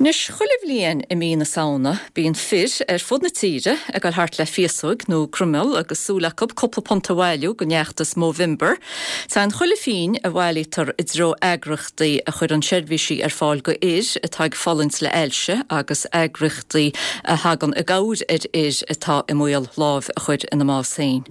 Anois, chuile bhliain i mí na Samhna, bíonn fir ar fud na tíre ag dul thart le féasóig nó croimeall agus súil acu cúpla punt a bhailiú don fheachtas Movember. Téann chuile phingin a bhailítear i dtreo eagraíochtaí a chuireann seirbhísí ar fáil go fhir atá ag fulaingt le ailse agus eagraíochtaí a thagann i gcabhair ar fhir atá i mbaol lámh a chur ina mbás féin.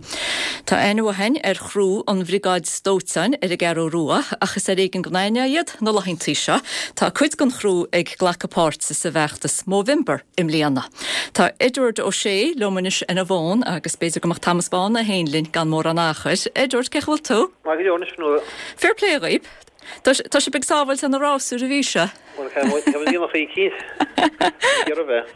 Tá aithne mhaith againn ar chriú an Bhriogáid Dóiteáin ar an gCeathrú Rua ach is ar éigean go n-aithneofá iad na laethantaí seo. Tá cuid den chriú ag glacadh páirte sa bhfeachtas Movember i mbliana. Tá Edward Ó Sé liom anois ar an bhfón agus b'fhéidir go mbeadh Thomas Bán é féin linn gan mórán achair. Edward, cén chaoi a bhfuil tú? Maith go leor anois, Fionnuala. Fair play dhaoib. Tá sibh ag sábháilt ar na rásúir a bhí seo. Bhuel, tá muid ag déanamh eicínt. Ag iarraidh bheith.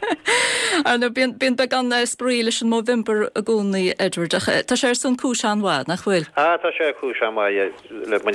Ar ndóigh, bíonn, bíonn beagán spraoi leis an Movember i gcónaí, Edward, ach tá sé ar son cúis an-mhaith, nach bhfuil? Ah, tá sé ar cúis an-mhaith, yeah, le le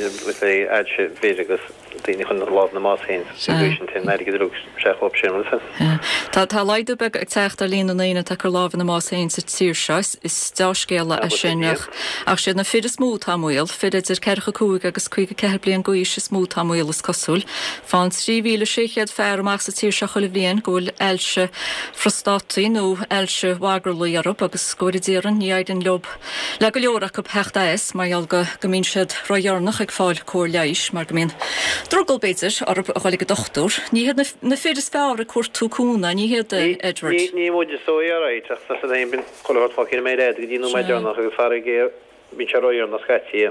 ailse fir agus daoine chun lámh ina mbás féin, sa gcaoi sin, téann an airgead uilig isteach dhóibh sin, bhfuil a fhios agat? Yeah. Tá, tá laghdú beag ag teacht ar líon na ndaoine atá ag cur lámh ina mbás féin sa tír seo, is deá-scéala é sin, ach, ach siad na fir is mó atá i mbaol, fir idir 45 agus 54 bliain d'aois is mó atá i mbaol, is cosúil. Faigheann 3,600 fear amach sa tír seo chuile bhliain go bhfuil ailse phrostátaí nó ailse mhagarlaí orthu agus go bhfóire Dia orainn ní éiríonn leo, le go leor acu theacht as mar gheall go go mbíonn siad ródheireanach ag fáil cóir leighis mar go mbíonn drogall, b'fhéidir, orthu a dhul ag an dochtúir. Ní hiad na fir is fearr ag cuartú cúnamh, ní hiad, Edward? Ní muid is dóigh, alright, ach tá siad féin, bíonn chuile shórt fágtha ar an méar fhada go dtí an nóiméad deireanach agus faraor géar bíonn sé ródheireanach scaití.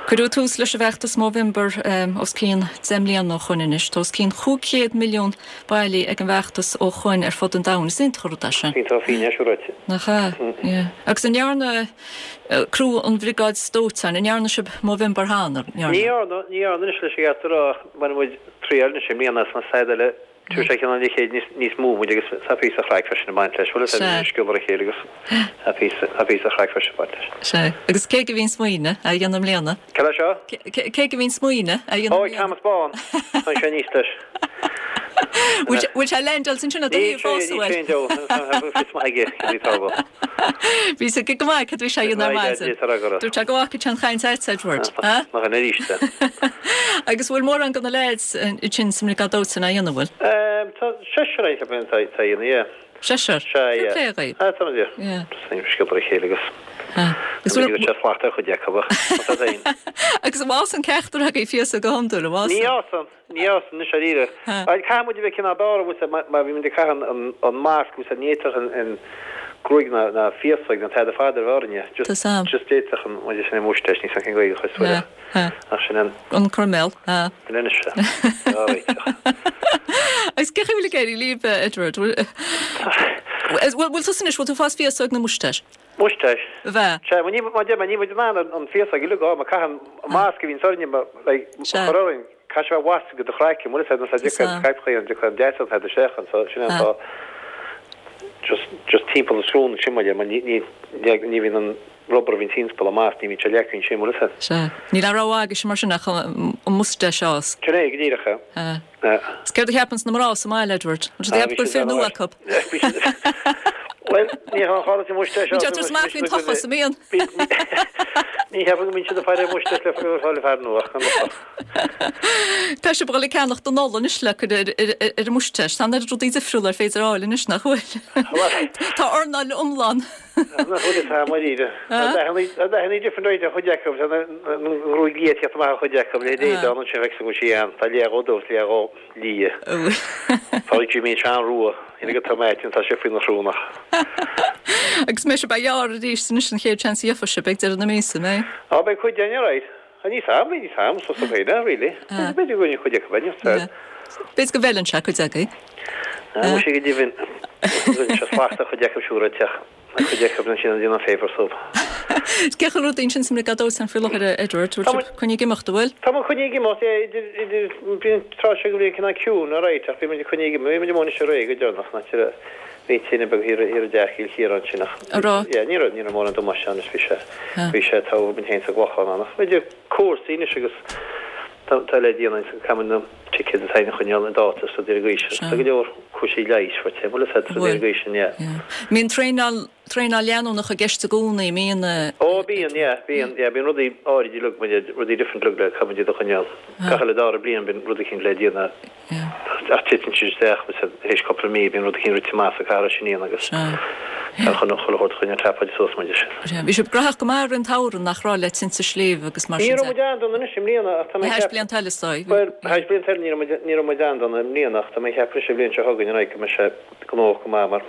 Cuireadh tús leis an bhfeachtas Movember os cionn 10 mbliana ó shoin anois. Tá os cionn 500 milliún bailithe ag an bhfeachtas ó shoin ar fud an domhain. Is iontach an rud é sin. Iontach fíon é, siúráilte. Nach ea? Yeah. Agus an ndearna criú an Bhriogáid Dóiteáin, an ndearna sibh Movember cheana? Ní dhearna, ní dhearna anois leis an gceart a rá ach bhain muid triail anois i mbliana is an said eile Tabharfaidh sé cineál leichéid níos mó muid agus tá píosa chraic freisin ag baint leis. Bhuel, is é sciobadh ar a chéile agus tá píosa, tá píosa chraic freisin ag baint leis. Sea. Agus cé aige a bhí an smaoineamh a dhéanamh i mbliana? Cad é seo? Cé aige a bhí an smaoineamh a dhéanamh i mbliana? Ó, Thomas Bán. Tá sé aníos leis. Bhfuil sé ag leaindeáil ansin i do thaobh fós, an bhfuil? Níl sé, níl sé, tá fios maith aige cad é atá agam. Bhí sé go maith cad a bhí sé a dhéanamh ar maidin. Dúirt sé go bhfaca sé an chaint a'd, Edward. Nach in arís é. Agus bhfuil mórán de na leaids ansin sa mBriogáid Dóiteáin á dhéanamh, bhfuil? Tá seisear ann, ceapaim, atá á dhéanamh, yeah. Seisear? Sea, yeah. Fair play dhaoibh. Ah, tá muid, yeah. Just sciobadh ar a chéile agus Agus bhfuil sé slacht ar chuid acu ach tá sé féin. Agus an bhfásann ceachtar agaibh féasóg go hiondúil, an bhfásann? Ní fhásann. Ní fhásann anois dáiríre. Caithfidh muid a bheith cineál dáiríre bhfuil 's a'd mar bhí muid ag caitheamh an masc bhfuil 's a'd ní fhéadfadh an gruaig ná ná féasóg ná tada fada a bheith orainne. Just just d'fhéadfadh an muid sin an moustache níl 's a'm cén Ghaeilge a chuir suas ach sin an an croiméal. Sin anois é. Á réiteach. Agus cén chaoi a bhfuil ag éirí libh Edward? Bhfuil tusa anois bhfuil tú ag fás féasóg nó moustache? Moustache. Bheith. Sea, ní, mar deir mé, ní muid in ann an féasóg uilig a fháil, mar caitheann an masc a bhíonns orainne, like, a Sea. chur orainn, caithfidh sé a bheith wasted go do chraiceann, bhfuil a fhios agat, Sea. scaipthe an dtiocfaidh an deatach an isteach anso, sin é an fáth, just, just timpeall na srón ansin, mar deir, mar ní, ní, ní bhíonn an rubber a bhíonn timpeall an masc, ní bhíonn sé leagtha ansin, bhfuil a fhios agat. Sea. Níl aon rogha agaibhse mar sin ach an moustache a fhás. Sin é, go díreach é. Sea. Is céard a cheapanns na mná sa mbaile, Edward? An siad ag ceapadh go bhfuil fir nua acu? Bhuel, ní hea, tharla sé moustache Bíonn siad ag tabhairt amach faoin tochas, an mbíonn? Ní cheapaim go mbíonn siad ag faire moustache le fáil fear nua, ach gan locht. Tá sibh ag dul ag ceannacht don Nollaig anois le cur ar an moustache. Tá an oiread rudaí difriúla ar féidir a fháil anois, nach bhfuil? Tá earnáil iomlán. Nach bhfuil tá dáiríre. Tá dathannaí different right ar chuid acu, tá an ghruaig liath ag teacht amach ar chuid acu, le Aodán ansin feictear go bhfuil sí ann, tá leath dhó dubh is leath dhó liath. Tá Jimí Seán Rua, ina go Tom Aitin, tá sé faoina shrón ach. Agus an mbeidh sibh á ghearradh arís anois an chéad seans a gheofa sibh ag deireadh na míosa, an mbeidh? Á beidh cuid againn alright. Níl 's a'm, níl 's a'm, so féin, really. B'fhéidir go bhfuil cuid acu, níl 's a'm. B'fhéidir go bhfeileann sé cuid agaibh. Muise go deimhin, rinne sé slacht ar chuid acu siúd a teach, ar chuid acu ansin a déanamh faobhar sóp. Cén chaoi a bhfuil rudaí ansin sa mBriogáid Dóiteáin faoi láthair, a Edward? Bhfuil sibh coinnithe ag imeacht, an bhfuil? Tá muid coinnithe ag imeacht, yeah, idir, idir, bhí an tráth seo den bhliain cineál ciúin, alright, ach bhí muid coinnithe ag imeacht, bhí muid amuigh anois aréir go deireanach, ná tire, bhí tine beag thiar, thiar i dteach Chill Chiaráin ansin ach, An raibh? yeah, ní raibh, ní raibh mórán damáiste ann, bhí sé, bhí sé togha muid féin sa gClochán ann ach idir cúrsaí anois agus tá, tá le déanamh, caithfidh muid na ticéid atá againn a choinneáil i dáta is rudaí ar an gcaoi sin. Tá go leor cúrsaí leighis faighte, bhfuil a fhios agat, rudaí ar an gcaoi sin, yeah. Yeah. Mbíonn traenáil, traenáil leanúnach i gceist i gcónaí, mbíonn? Ó bíonn, yeah, bíonn, yeah, bíonn rudaí áirid uilig, rudaí different uilig le caithfidh muid iad a choinneáil. Gach uile dara bliain bíonn rud eicínt le déanamh. Yeah. Ach titeann siad isteach tar éis cúpla mí, bíonn rud eicínt rite amach sa chathair sin iad agus tá chun chuile shórt choinne trapáid suas muid sin. Bhí sibh graitheach go maith i rith an tsamhraidh nach raibh le tinte sléibhe agus mar sin de. Ní raibh muid an-dona anois i mbliana ach tá mé ag ceapadh. Théis blianta eile is dóigh. Bhuel, théis blianta eile ní raibh muid, ní raibh muid an-dona i mbliana ach tá mé ag ceapadh anois an bhliain seo chugainn an go mbeidh sé gnóthach go maith mar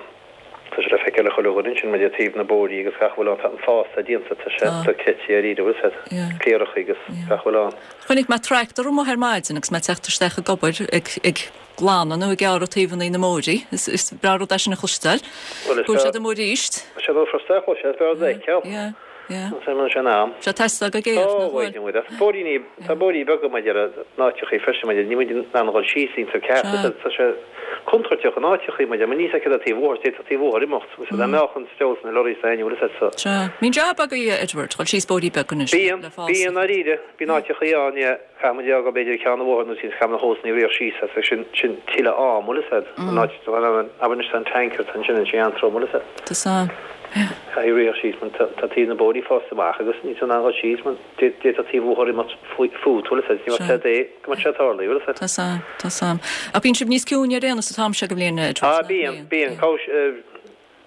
tá sé le feiceáil ag chuile dhuine ansin maidir le taobh na bóithrí agus gach a bhfuil ann tá an fás atá déanta tá sé dochreidte dáiríre bhfuil a fhios agat, cléireacha agus gach a bhfuil ann. Chonaic mé tractor amuigh ar maidin agus mé ag teacht isteach ag obair ag ag glanadh nó ag gearradh taobhanna na mbóithrí. Is breá rud é sin a chloisteáil. Go bhfuil siad amuigh arís. Tá sé furasta a chloisteáil, is breá rud a fheiceáil. Yeah, yeah. An bhfuil sé in am? Tá sé ag teastáil go géar, nach bhfuil? Ó, bhuel, bóithríní, tá bóithrí beaga maidir le n-áiteachaí freisin maidir, níl muid in ann a dhul síos iontu ceart, tá sé contúirteach in áiteachaí maidir, mar níl a fhios agat taobh bhóthair, d'fhéadfadh taobh bhóthair imeacht, agus dá mbeadh an steall sna lorraí sa ainm, bhfuil a fhios agat, so. Sea. Bíonn jab agaibh, Edward, dhul síos bóithrí beaga anois Bíonn, le fás. bíonn, dáiríre, bíonn áiteachaí ann, yeah, caithfidh muid a fhágáil b'fhéidir ceann an bhóthair nó sin, caithfidh na hósanna a ritheadh síos as, agus sin, sin tuilleadh am, bhfuil a fhios agat, an áit, abair anois tá an tanker, tá ansin, an sé an-trom, bhfuil a fhios agat. Tá san, yeah. Caithfidh ritheadh síos mar tá taobh na bóithrí fásta amach agus níl tú in ann dhul síos mar d'fhéadfadh taobh bhóthair imeacht fút, bhfuil a fhios agat, ní bheadh sé é go mbeadh sé tarlaithe, bhfuil a fhios agat. Tá san, tá san. Ach bíonn sibh níos ciúine ar aon nós an t-am seo de bhliain, Edward, Ah bíonn, bíonn,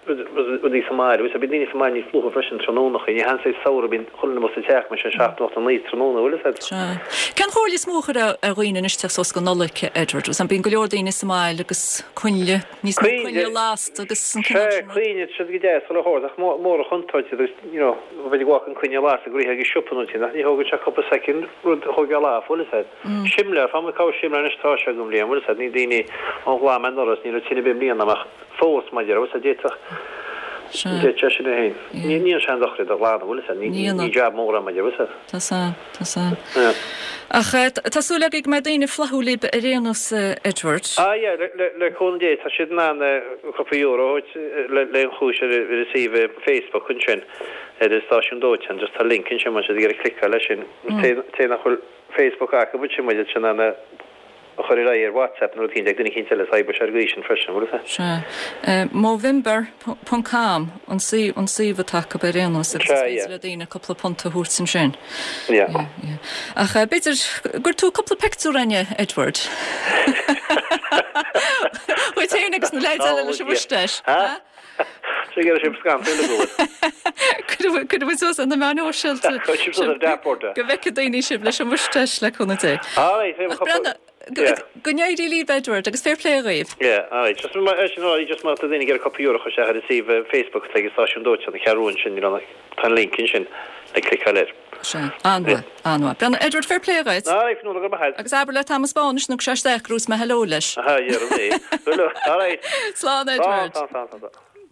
rudaí sa mbaile, bhfuil a fhios agat, bíonn daoine sa mbaile níos luaithe freisin tráthnónachaí, ní hea an saghas samhradh bíonn chuile dhuine amuigh sa teach mar sin 7 nó 8 nó 9 tráthnóna, bhfuil a fhios agat. Sea. Cén chomhairle is mó a chuirfeá ar dhaoine anois ag teacht suas go Nollaig, Edward? Bhfuil a fhios agam, bíonn go leor daoine sa mbaile agus coinnle, Níos mó coinnle lasta agus an cineál sin rud. Sea, coinnle, siad go deas, chuile shórt, ach mór an chontúirt agus, you know, bheith ag amharc an coinneal lasta ag rith ag an siopa nó sin, ach ní thógann sé cúpla soicind rud a thógáil off, bhfuil a fhios agat. Simléar, fá mar cá bhfuil simléar anois tá sé agam bhliain, bhfuil a fhios agat, ní daoine ó ghlan mé anuraidh is ní raibh tine ar bith i mbliana ach fós, mar a déarfá, bhfuil a fhios agat, d'fhéadfadh, d'fhéadfadh sé sin é féin. Ní ní an sean dochar iad a ghlanadh, bhfuil a fhios agat, ní ní jab mór é, mar a déarfá, bhfuil a fhios agat. Tá 's a'm. Tá 's a'm. Ach tá súil againn go mbeidh daoine flaithiúil libh ar aon nós, Edward. Ah yeah, le cúnamh Dé, tá siad in ann cúpla euro a thabhairt le an chúis ar an suíomh Facebook ansin, ar an stáisiún dóiteáin, just tá link ansin má tá siad ag iarraidh cliceáil leis sin. Té nach bhfuil Facebook acu, ansin muid in ann a a chur ar aghaidh ar WhatsApp nó rud eicínt ag duine eicínt eile is oibreoidh sé ar an gcaoi sin freisin, bhfuil a fhios agat? Sea. Movember ponc com an suíomh an suíomh atá acu ar aon nós agus is féidir le daoine cúpla punt a thabhairt ansin. Yeah. Yeah, yeah. Ach b'fhéidir go gcuirfidh tú cúpla pictiúr againne, Edward. Dhuit féin agus na leaids eile leis an mhuistéis. Ha? Sé go raibh sibh scanntal le go. Cuirfidh muid suas ar na meáin shóisialta. Cuirfidh sibh suas ar dashboard. Go bhfeicfidh daoine sibh leis an mhuistéis le cúnamh Dé. Alright, Ach Breandán, go n-éirí libh Edward agus fair play dhaoibh. Yeah, alright. Just mar sin alright, just má tá daoine ag iarraidh cúpla euro a chur isteach ar an suíomh Facebook atá ag an stáisiún dóiteáin, an Cheathrú ansin, tá an link ansin le cliceáil air. Sea, an-mhaith, an-mhaith. Breandán, Edward, fair play dhuit. Alright, Fionnuala, go raibh maith agat. Agus abair le Thomas Bán anois nuair a thiocfaidh sé isteach go raibh mé hello leis. Aha, yeah, rud é. Alright. Slán, Edward. Slán, slán, slán, slán.